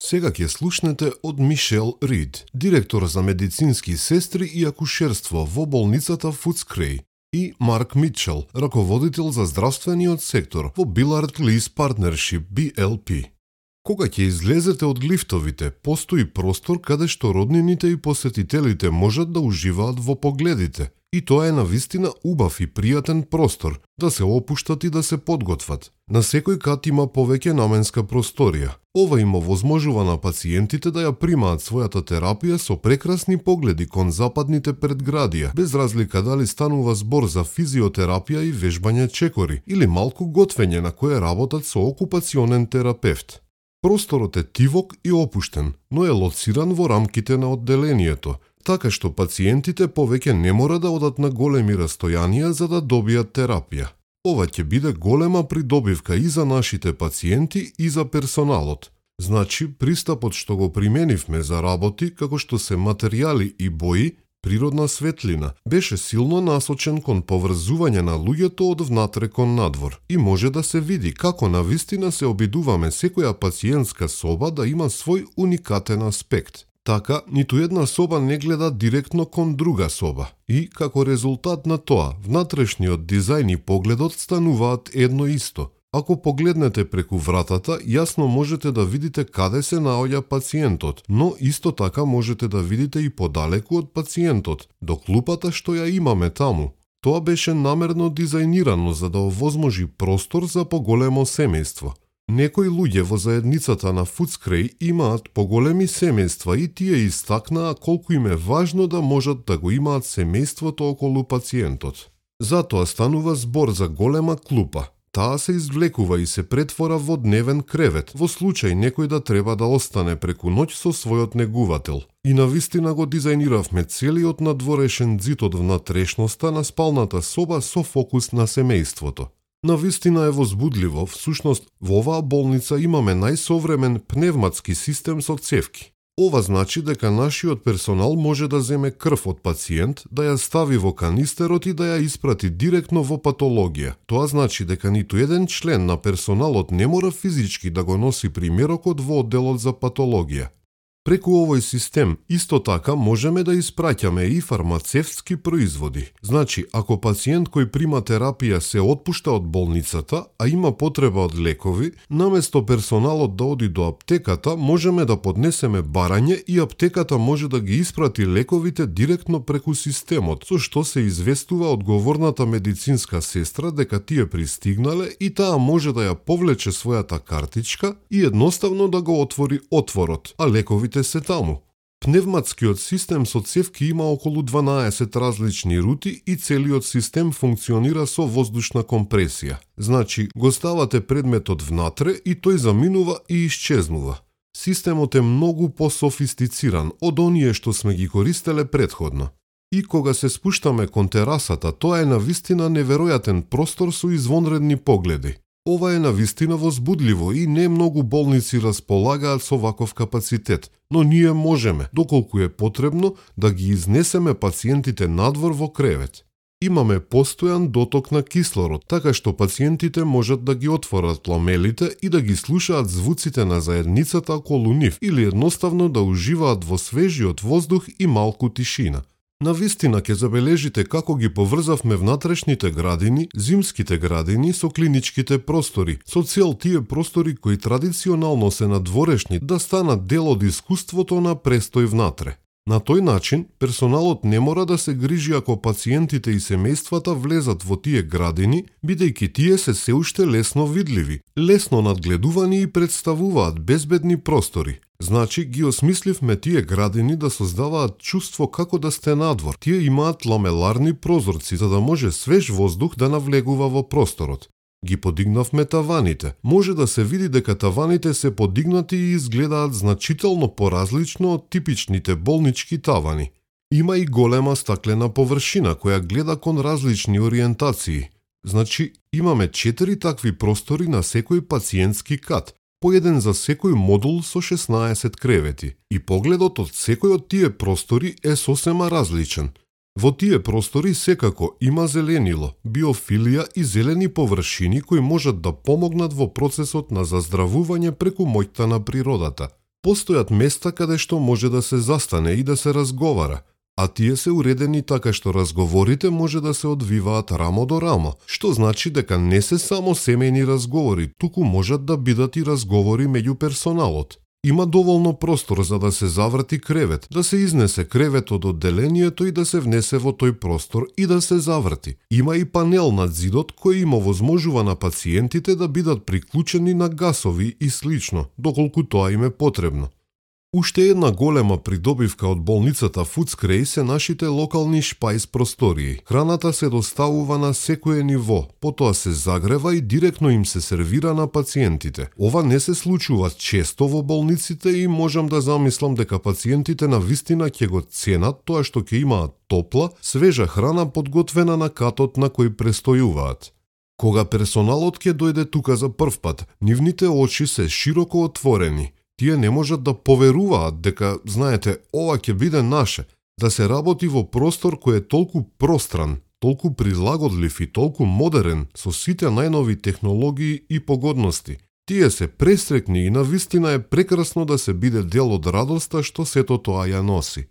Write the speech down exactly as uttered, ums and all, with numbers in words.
Сега ќе слушнете од Мишел Рид, директор за медицински сестри и акушерство во болницата Фудскрей, и Марк Митчел, раководител за здравствениот сектор во Billard Lease Partnership Би Ел Пи. Кога ќе излезете од лифтовите, постои простор каде што роднините и посетителите можат да уживаат во погледите. И тоа е навистина убав и пријатен простор, да се опуштат и да се подготват. На секој кат има повеќе наменска просторија. Ова им овозможува на пациентите да ја примаат својата терапија со прекрасни погледи кон западните предградија, без разлика дали станува збор за физиотерапија и вежбање чекори, или малку готвење на кое работат со окупационен терапевт. Просторот е тивок и опуштен, но е лоциран во рамките на одделението, така што пациентите повеќе не мора да одат на големи растојанија за да добијат терапија. Ова ќе биде голема придобивка и за нашите пациенти и за персоналот. Значи, пристапот што го применивме за работи, како што се материјали и бои, природна светлина, беше силно насочен кон поврзување на луѓето од внатре кон надвор. И може да се види како навистина се обидуваме секоја пациентска соба да има свој уникатен аспект. Така, ниту една соба не гледа директно кон друга соба. И, како резултат на тоа, внатрешниот дизајн и погледот стануваат едно исто. Ако погледнете преку вратата, јасно можете да видите каде се наоѓа пациентот, но исто така можете да видите и подалеку од пациентот, до клупата што ја имаме таму. Тоа беше намерно дизајнирано за да овозможи простор за поголемо семејство. Некои луѓе во заедницата на Фудскрей имаат поголеми семејства и тие истакнаа колку им е важно да можат да го имаат семејството околу пациентот. Затоа станува збор за голема клупа. Таа се извлекува и се претвора во дневен кревет, во случај некој да треба да остане преку ноќ со својот негувател. И навистина го дизајниравме целиот надворешен зид од внатрешноста на спалната соба со фокус на семејството. Навистина е возбудливо, всушност во оваа болница имаме најсовремен пневматски систем со цевки. Ова значи дека нашиот персонал може да земе крв од пациент, да ја стави во канистерот и да ја испрати директно во патологија. Тоа значи дека ниту еден член на персоналот не мора физички да го носи примерокот во одделот за патологија. Преку овој систем, исто така, можеме да испраќаме и фармацевтски производи. Значи, ако пациент кој прима терапија се отпушта од болницата, а има потреба од лекови, наместо персоналот да оди до аптеката, можеме да поднесеме барање и аптеката може да ги испрати лековите директно преку системот, со што се известува одговорната медицинска сестра дека тие пристигнале и таа може да ја повлече својата картичка и едноставно да го отвори отворот, а лековите се таму. Пневматскиот систем со цевки има околу дванаесет различни рути и целиот систем функционира со воздушна компресија. Значи, го ставате предметот внатре и тој заминува и исчезнува. Системот е многу пософистициран од оние што сме ги користеле предходно. И кога се спуштаме кон терасата, тоа е навистина неверојатен простор со извонредни погледи. Ова е навистина возбудливо и не многу болници располагаат со ваков капацитет, но ние можеме, доколку е потребно, да ги изнесеме пациентите надвор во кревет. Имаме постојан доток на кислород, така што пациентите можат да ги отворат ламелите и да ги слушаат звуците на заедницата околу нив или едноставно да уживаат во свежиот воздух и малку тишина. Навистина ќе забележите како ги поврзавме внатрешните градини, зимските градини со клиничките простори, со цел тие простори кои традиционално се надворешни да станат дел од искуството на престој внатре. На тој начин, персоналот не мора да се грижи ако пациентите и семејствата влезат во тие градини, бидејќи тие се се уште лесно видливи, лесно надгледувани и представуваат безбедни простори. Значи, ги осмисливме тие градини да создаваат чувство како да сте надвор. Тие имаат ламеларни прозорци за да може свеж воздух да навлегува во просторот. Ги подигнавме таваните. Може да се види дека таваните се подигнати и изгледаат значително поразлично од типичните болнички тавани. Има и голема стаклена површина која гледа кон различни ориентации. Значи, имаме четири такви простори на секој пациентски кат, по еден за секој модул со шеснаесет кревети. И погледот од секој од тие простори е сосема различен. Во тие простори секако има зеленило, биофилија и зелени површини кои можат да помогнат во процесот на заздравување преку моќта на природата. Постојат места каде што може да се застане и да се разговара, а тие се уредени така што разговорите може да се одвиваат рамо до рамо, што значи дека не се само семејни разговори, туку можат да бидат и разговори меѓу персоналот. Има доволно простор за да се заврти кревет, да се изнесе кревет од одделението и да се внесе во тој простор и да се заврти. Има и панел над зидот кој им овозможува на пациентите да бидат приклучени на гасови и слично, доколку тоа им е потребно. Уште една голема придобивка од болницата Фудскрей се нашите локални шпајс простории. Храната се доставува на секое ниво, потоа се загрева и директно им се сервира на пациентите. Ова не се случува често во болниците и можам да замислам дека пациентите на вистина ќе го ценат тоа што ќе имаат топла, свежа храна подготвена на катот на кој престојуваат. Кога персоналот ќе дојде тука за прв пат, нивните очи се широко отворени. Тие не можат да поверуваат дека, знаете, ова ќе биде наше, да се работи во простор кој е толку простран, толку прилагодлив и толку модерен со сите најнови технологии и погодности. Тие се престрекни и навистина е прекрасно да се биде дел од радоста што сето тоа ја носи.